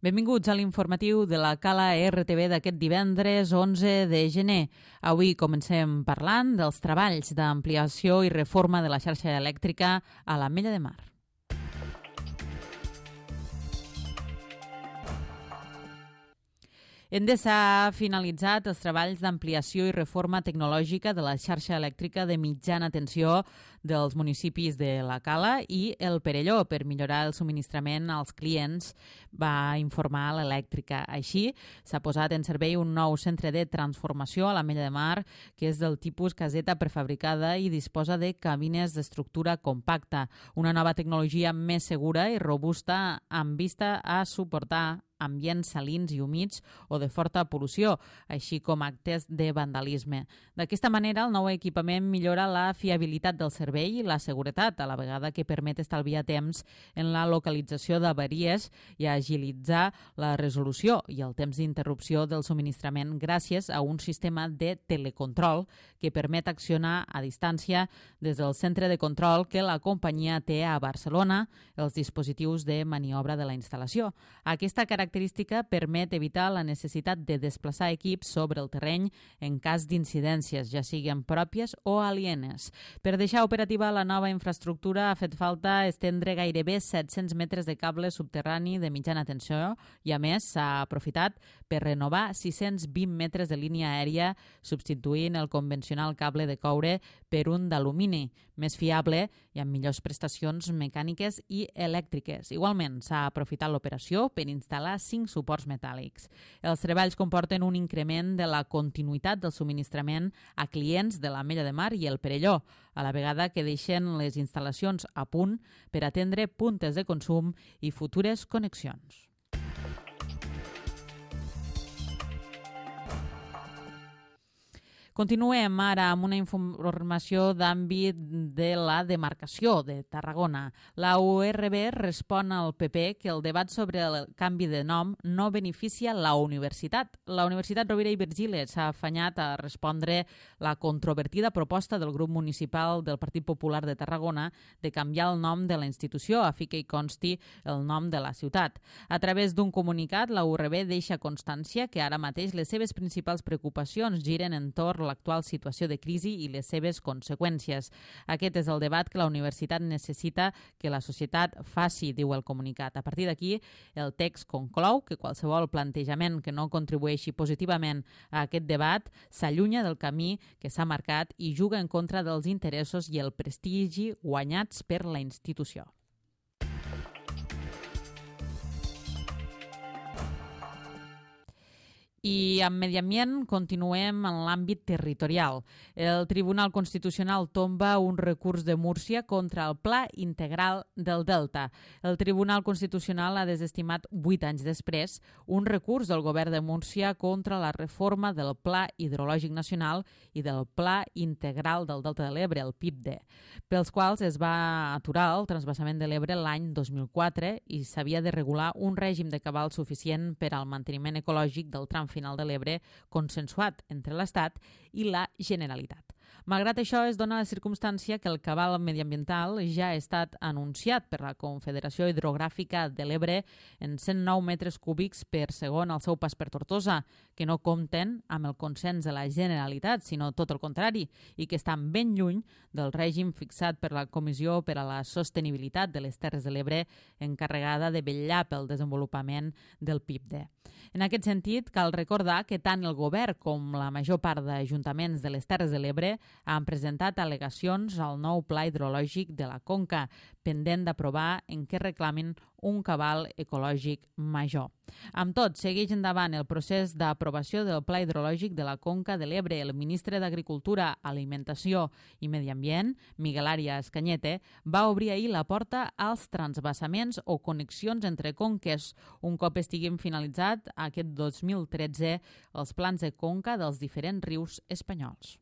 Benvinguts a l'informatiu de la Cala RTV d'aquest divendres 11 de gener. Avui comencem parlant dels treballs d'ampliació i reforma de la xarxa elèctrica a l'Ametlla de Mar. Endesa ha finalitzat els treballs d'ampliació i reforma tecnològica de la xarxa elèctrica de mitjana tensió dels municipis de la Cala i el Perelló per millorar el subministrament als clients, va informar l'elèctrica. Així, s'ha posat en servei un nou centre de transformació a l'Ametlla de Mar, que és del tipus caseta prefabricada i disposa de cabines d'estructura compacta, una nova tecnologia més segura i robusta amb vista a suportar ambients salins i humits o de forta pol·lució, així com actes de vandalisme. D'aquesta manera, el nou equipament millora la fiabilitat del servei i la seguretat, a la vegada que permet estalviar temps en la localització d'avaries i agilitzar la resolució i el temps d'interrupció del subministrament gràcies a un sistema de telecontrol que permet accionar a distància des del centre de control que la companyia té a Barcelona els dispositius de maniobra de la instal·lació. Aquesta característica permet evitar la necessitat de desplaçar equips sobre el terreny en cas d'incidències, ja siguin pròpies o alienes. Per deixar operativa la nova infraestructura ha fet falta estendre gairebé 700 metres de cable subterrani de mitjana tensió i, a més, s'ha aprofitat per renovar 620 metres de línia aèria, substituint el convencional cable de coure per un d'alumini, més fiable i amb millors prestacions mecàniques i elèctriques. Igualment, s'ha aprofitat l'operació per instal·lar 5 suports metàl·lics. Els treballs comporten un increment de la continuïtat del subministrament a clients de l'Ametlla de Mar i el Perelló, a la vegada que deixen les instal·lacions a punt per atendre puntes de consum i futures connexions. Continuem ara amb una informació d'àmbit de la demarcació de Tarragona. La URB respon al PP que el debat sobre el canvi de nom no beneficia la universitat. La Universitat Rovira i Virgili s'ha afanyat a respondre la controvertida proposta del grup municipal del Partit Popular de Tarragona de canviar el nom de la institució a fi que hi consti el nom de la ciutat. A través d'un comunicat, la URB deixa constància que ara mateix les seves principals preocupacions giren entorn l'actual situació de crisi i les seves conseqüències. Aquest és el debat que la universitat necessita que la societat faci, diu el comunicat. A partir d'aquí, el text conclou que qualsevol plantejament que no contribueixi positivament a aquest debat s'allunya del camí que s'ha marcat i juga en contra dels interessos i el prestigi guanyats per la institució. I amb medi ambient continuem en l'àmbit territorial. El Tribunal Constitucional tomba un recurs de Múrcia contra el Pla Integral del Delta. El Tribunal Constitucional ha desestimat 8 anys després un recurs del govern de Múrcia contra la reforma del Pla Hidrològic Nacional i del Pla Integral del Delta de l'Ebre, el PIPD, pels quals es va aturar el transvasament de l'Ebre l'any 2004 i s'havia de regular un règim de cabal suficient per al manteniment ecològic del tram final de l'Ebre consensuat entre l'Estat i la Generalitat. Malgrat això, es dona la circumstància que el cabal mediambiental ja ha estat anunciat per la Confederació Hidrogràfica de l'Ebre en 109 metres cúbics per segon al seu pas per Tortosa, que no compten amb el consens de la Generalitat, sinó tot el contrari, i que estan ben lluny del règim fixat per la Comissió per a la Sostenibilitat de les Terres de l'Ebre, encarregada de vetllar pel desenvolupament del PIPD. En aquest sentit, cal recordar que tant el govern com la major part d'ajuntaments de les Terres de l'Ebre han presentat al·legacions al nou pla hidrològic de la Conca, pendent d'aprovar en què reclamin un cabal ecològic major. Amb tot, segueix endavant el procés d'aprovació del Pla Hidrològic de la Conca de l'Ebre. El ministre d'Agricultura, Alimentació i Medi Ambient, Miguel Arias Cañete, va obrir ahir la porta als transvasaments o connexions entre conques, un cop estiguin finalitzat aquest 2013 els plans de conca dels diferents rius espanyols.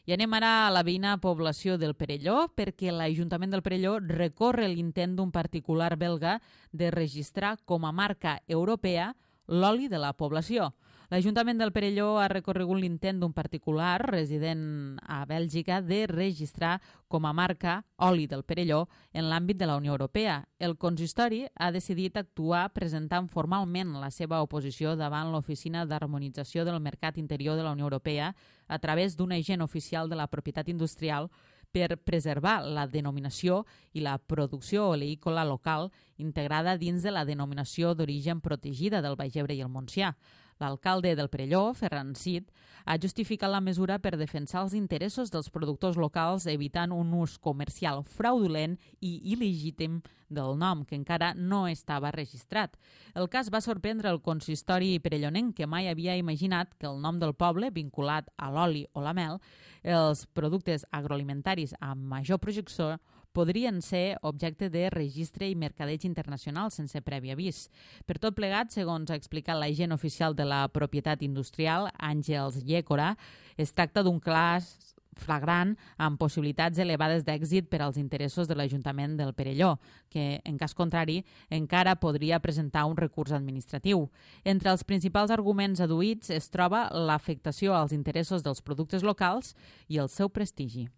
I anem ara a la veïna població del Perelló perquè l'Ajuntament del Perelló recorre l'intent d'un particular belga de registrar com a marca europea l'oli de la població. L'Ajuntament del Perelló ha recorregut l'intent d'un particular resident a Bèlgica de registrar com a marca oli del Perelló en l'àmbit de la Unió Europea. El consistori ha decidit actuar presentant formalment la seva oposició davant l'Oficina d'Harmonització del Mercat Interior de la Unió Europea a través d'un agent oficial de la propietat industrial per preservar la denominació i la producció oleícola local integrada dins de la denominació d'origen protegida del Baix Ebre i el Montsià. L'alcalde del Perelló, Ferran Cid, ha justificat la mesura per defensar els interessos dels productors locals evitant un ús comercial fraudulent i il·legítim del nom, que encara no estava registrat. El cas va sorprendre el consistori perellonenc, que mai havia imaginat que el nom del poble, vinculat a l'oli o la mel, els productes agroalimentaris amb major projecció, podrien ser objecte de registre i mercadeig internacional sense previ avís. Per tot plegat, segons ha explicat l'agent oficial de la propietat industrial, Àngels Llécora, es tracta d'un cas flagrant amb possibilitats elevades d'èxit per als interessos de l'Ajuntament del Perelló, que, en cas contrari, encara podria presentar un recurs administratiu. Entre els principals arguments adduïts es troba l'afectació als interessos dels productes locals i el seu prestigi.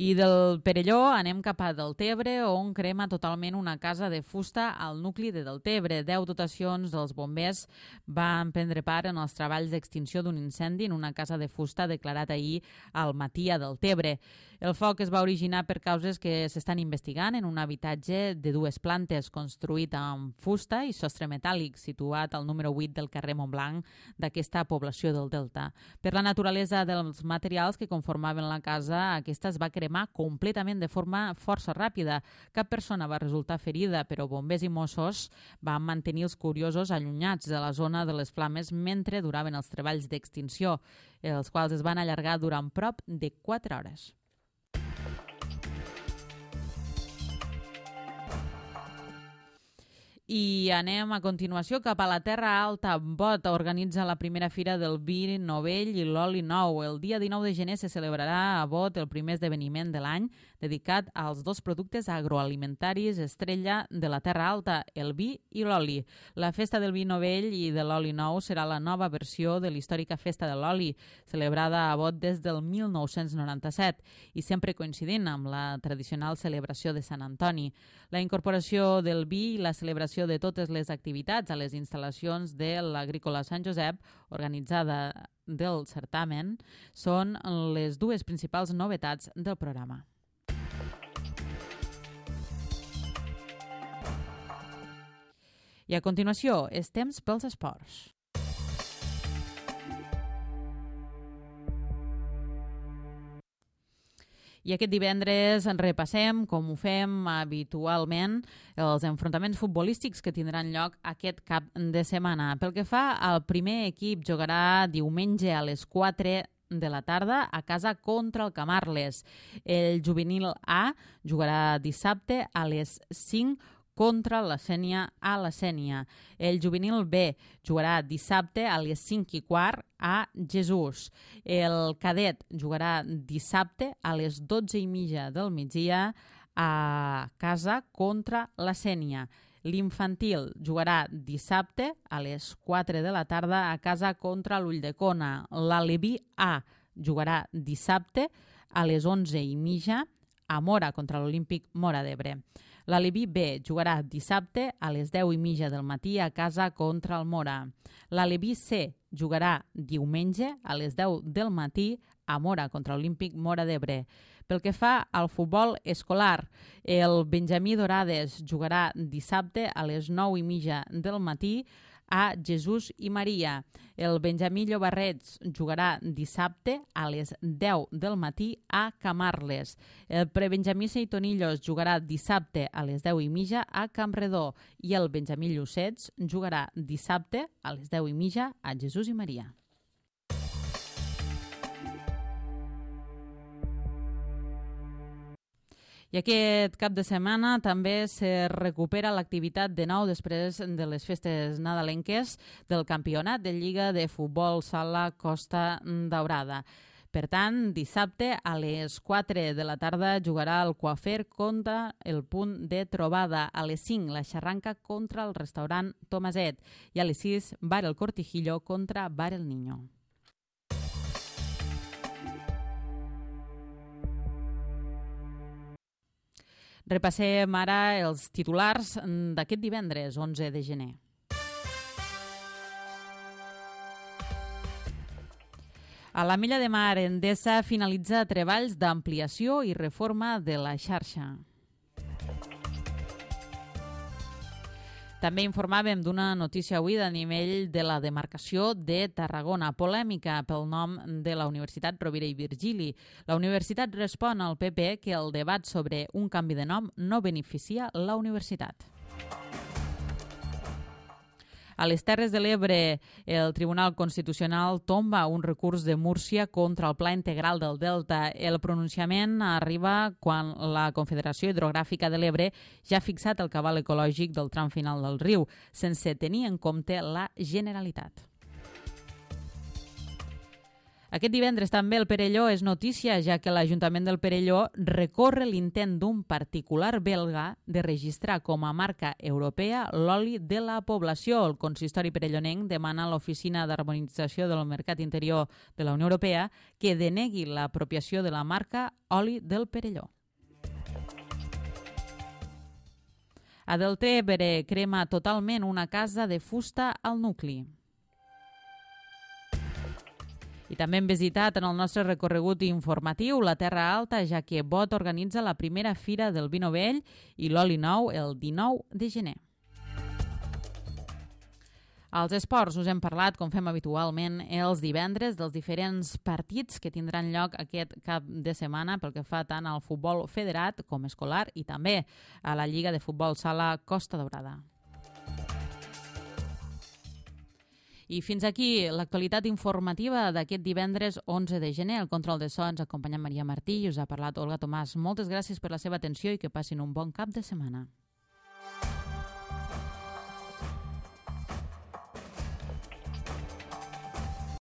I del Perelló anem cap a Deltebre, on crema totalment una casa de fusta al nucli de Deltebre. 10 dotacions dels bombers van prendre part en els treballs d'extinció d'un incendi en una casa de fusta declarat ahir al matí a Deltebre. El foc es va originar per causes que s'estan investigant en un habitatge de 2 plantes construït amb fusta i sostre metàl·lic, situat al número 8 del carrer Montblanc d'aquesta població del Delta. Per la naturalesa dels materials que conformaven la casa, aquesta es va cremar completament de forma força ràpida. Cap persona va resultar ferida, però bombers i Mossos van mantenir els curiosos allunyats de la zona de les flames mentre duraven els treballs d'extinció, els quals es van allargar durant prop de 4 hores. I anem a continuació cap a la Terra Alta. Bot organitza la primera fira del vi novell i l'oli nou. El dia 19 de gener se celebrarà a Bot el primer esdeveniment de l'any dedicat als 2 productes agroalimentaris estrella de la Terra Alta, el vi i l'oli. La festa del vi novell i de l'oli nou serà la nova versió de l'històrica festa de l'oli, celebrada a Bot des del 1997 i sempre coincidint amb la tradicional celebració de Sant Antoni. La incorporació del vi i la celebració de totes les activitats a les instal·lacions de l'Agrícola Sant Josep, organitzada del certamen, són les 2 principals novetats del programa. I a continuació, és temps pels esports. I aquest divendres repassem, com ho fem habitualment, els enfrontaments futbolístics que tindran lloc aquest cap de setmana. Pel que fa al primer equip, jugarà diumenge a les 4 de la tarda a casa contra el Camarles. El juvenil A jugarà dissabte a les 5 contra la Sénia a la Sénia. El juvenil B jugarà dissabte a les 5:15 a Jesús. El cadet jugarà dissabte a les 12:30 del migdia a casa contra la Sénia. L'infantil jugarà dissabte a les 4 de la tarda a casa contra l'Ulldecona. L'Aleví A jugarà dissabte a les 11:30 a Mora contra l'Olímpic Móra d'Ebre. L'Aleví B jugarà dissabte a les 10:30 del matí a casa contra el Mora. L'Aleví C jugarà diumenge a les 10 del matí a Mora contra l'Olímpic Móra d'Ebre. Pel que fa al futbol escolar, el Benjamí Dorades jugarà dissabte a les 9:30 del matí a Jesús i Maria. El Benjamí Llobarrets jugarà dissabte a les 10 del matí a Camarles. El Prebenjamí Seitonillos jugarà dissabte a les 10:30 a Campredó i el Benjamí Llucets jugarà dissabte a les 10:30 a Jesús i Maria. I aquest cap de setmana també se recupera l'activitat de nou després de les festes nadalenques del Campionat de Lliga de Futbol Sala Costa Daurada. Per tant, dissabte a les 4 de la tarda jugarà el Coafer contra el Punt de Trobada. A les 5 la Xarranca contra el restaurant Tomaset i a les 6 Bar El Cortijillo contra Bar El Niño. Repassem ara els titulars d'aquest divendres, 11 de gener. A la Milla de Mar, Endesa finalitza treballs d'ampliació i reforma de la xarxa. També informàvem d'una notícia avui a nivell de la demarcació de Tarragona, polèmica pel nom de la Universitat Rovira i Virgili. La universitat respon al PP que el debat sobre un canvi de nom no beneficia la universitat. A les Terres de l'Ebre, el Tribunal Constitucional tomba un recurs de Múrcia contra el Pla Integral del Delta. El pronunciament arriba quan la Confederació Hidrogràfica de l'Ebre ja ha fixat el cabal ecològic del tram final del riu, sense tenir en compte la Generalitat. Aquest divendres també el Perelló és notícia, ja que l'Ajuntament del Perelló recorre l'intent d'un particular belga de registrar com a marca europea l'oli de la població. El consistori perellonenc demana a l'Oficina d'Harmonització del Mercat Interior de la Unió Europea que denegui l'apropiació de la marca oli del Perelló. A Deltebre crema totalment una casa de fusta al nucli. I també hem visitat en el nostre recorregut informatiu la Terra Alta, ja que Bot organitza la primera fira del vi novell i l'oli nou el 19 de gener. Als esports us hem parlat, com fem habitualment, els divendres dels diferents partits que tindran lloc aquest cap de setmana pel que fa tant al futbol federat com escolar i també a la Lliga de Futbol Sala Costa Daurada. I fins aquí l'actualitat informativa d'aquest divendres 11 de gener. El control de so ens ha acompanyat Maria Martí i us ha parlat Olga Tomàs. Moltes gràcies per la seva atenció i que passin un bon cap de setmana.